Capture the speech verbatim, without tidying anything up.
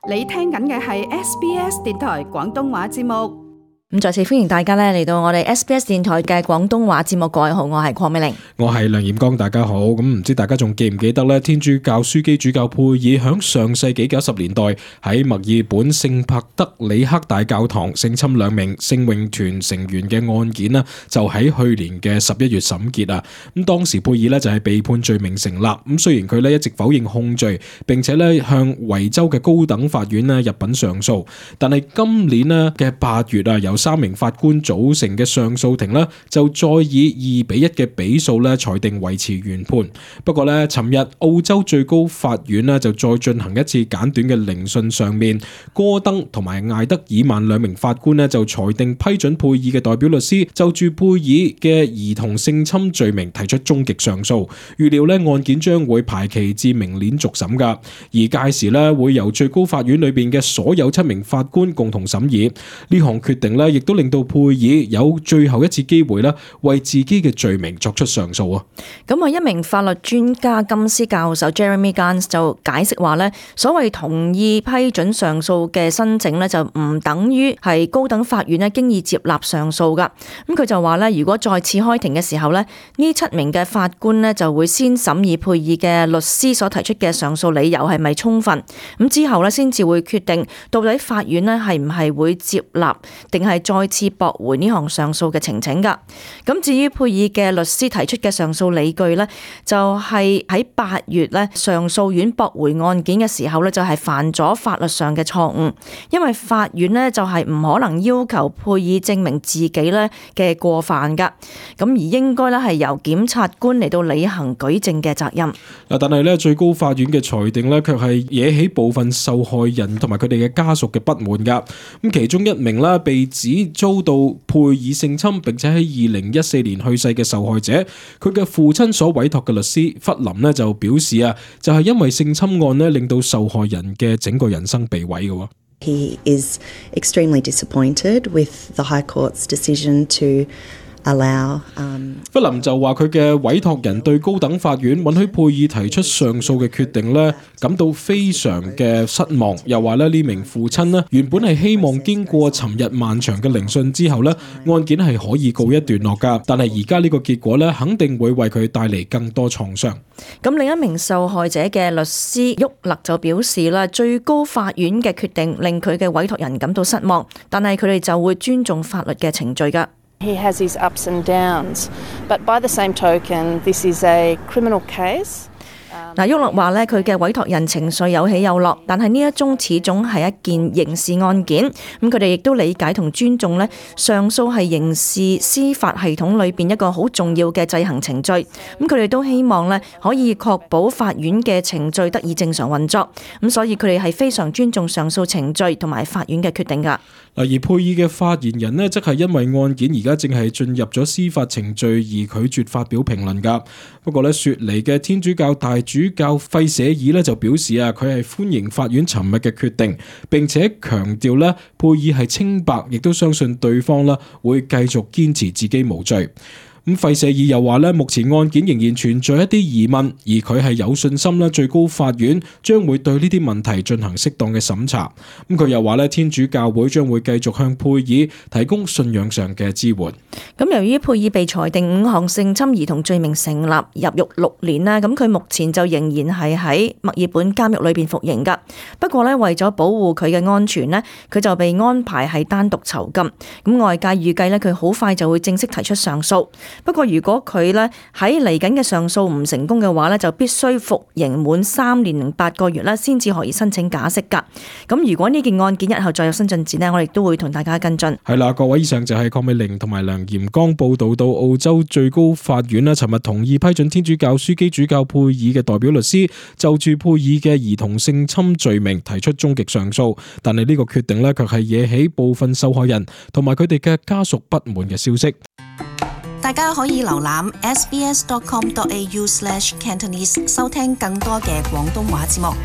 你聽緊嘅係 S B S 電台廣東話節目。咁再次歡迎大家咧嚟到我哋 S B S 電台嘅廣東話節目。各位好，我係鄺美玲，我係梁彥剛，大家好。咁唔知大家仲記唔記得咧？天主教樞機主教佩爾響上世紀九十年代喺墨爾本聖帕德里克大教堂性侵兩名聖詠團成員嘅案件呢，就喺去年嘅十一月審結啊。咁當時佩爾呢就係被判罪名成立。咁雖然佢呢一直否認控罪，並且呢向維州嘅高等法院呢入稟上訴，但係今年呢嘅八月啊，有三名法官組成嘅上訴庭呢，就再以二比一嘅比數呢裁定維持原判。不過呢，尋日澳洲最高法院呢就再進行一次簡短嘅聆訊，上面戈登同埋艾德爾曼兩名法官呢就裁定批准佩爾嘅代表律師就住佩爾嘅兒童性侵罪名提出終極上訴。預料呢案件將會排期至明年續審噶，而屆時呢會由最高法院裏邊嘅所有七名法官共同審議。呢項決定呢亦都令到佩爾有最後一次機會咧，為自己嘅罪名作出上訴啊！咁啊，一名法律專家金斯教授 Jeremy Gans 就解釋話咧，所謂同意批准上訴嘅申請咧，就唔等於係高等法院咧經已接納上訴噶。咁佢就話咧，如果再次開庭嘅時候咧，呢七名嘅法官咧就會先審議佩爾嘅律師所提出嘅上訴理由係咪充分，咁之後咧先至會決定到底法院咧係唔係會接納，定係再次駁回呢項上訴嘅呈請噶。咁至於佩爾嘅律師提出嘅上訴理據呢，就係喺八月呢上訴院駁回案件嘅時候呢，就係犯咗法律上嘅錯誤，因為法院呢就係唔可能要求佩爾證明自己呢嘅過犯噶，咁而應該呢係由檢察官嚟到履行舉證嘅責任。但係呢最高法院嘅裁定呢，卻係惹起部分受害人同埋佢哋嘅家屬嘅不滿噶。咁其中一名啦被指遭到佩爾性侵並且喺二零一四年去世嘅受害者，佢嘅父親所委託嘅律師弗林呢就表示啊，就係因為性侵案呢令到受害人嘅整個人生被毀嘅。He is extremely disappointed with the High Court's decision to allow, um, 弗林就話佢嘅委託人對高等法院允許佩爾提出上訴嘅決定呢感到非常嘅失望，又話咧呢名父親呢原本係希望經過尋日漫長嘅聆訊之後呢案件係可以告一段落噶，但係而家呢個結果呢肯定會為佢帶嚟更多創傷。咁另一名受害者嘅律師沃勒就表示啦，最高法院嘅決定令佢嘅委託人感到失望，但係佢哋就會尊重法律嘅程序噶。He has his ups and downs, but by the same token, this is a criminal case. 嗱，沃勒話咧，佢嘅委託人情緒有起有落，但係呢一宗始終係一件刑事案件，咁佢哋亦都理解同尊重咧，上訴係刑事司法系統裏邊一個好重要嘅制衡程序，咁佢哋都希望咧可以確保法院嘅程序得以正常運作，咁所以佢哋係非常尊重上訴程序同埋法院嘅決定噶。而佩爾嘅發言人呢，則係因為案件而家正係進入咗司法程序而拒絕發表評論噶。不過呢，雪梨嘅天主教大主教費舍爾呢就表示啊，佢係歡迎法院尋日嘅決定，並且強調呢，佩爾係清白，亦都相信對方啦會繼續堅持自己無罪。咁費舍爾又話咧，目前案件仍然存在一啲疑問，而佢係有信心咧，最高法院將會對呢啲問題進行適當嘅審查。咁佢又話咧，天主教會將會繼續向佩爾提供信仰上嘅支援。咁由於佩爾被裁定五項性侵兒童罪名成立，入獄六年啦，咁佢目前就仍然係喺墨爾本監獄裏邊服刑噶。不過咧，為咗保護佢嘅安全咧，佢就被安排係單獨囚禁。咁外界預計咧，佢好快就會正式提出上訴。不過如果佢咧喺嚟緊嘅上訴唔成功嘅話咧，就必須服刑滿三年零八個月啦，先至可以申請假釋噶。咁如果呢件案件日後再有新進展呢，我哋都會同大家跟進。係啦，各位，以上就係鄺美玲同埋梁彥剛報道到澳洲最高法院啦，尋日同意批准天主教樞機主教佩爾嘅代表律師就住佩爾嘅兒童性侵罪名提出終極上訴，但係呢個決定呢，卻係惹起部分受害人同埋佢哋嘅家屬不滿嘅消息。大家可以瀏覽 s b s dot com dot a u slash cantonese 收聽更多嘅廣東話節目。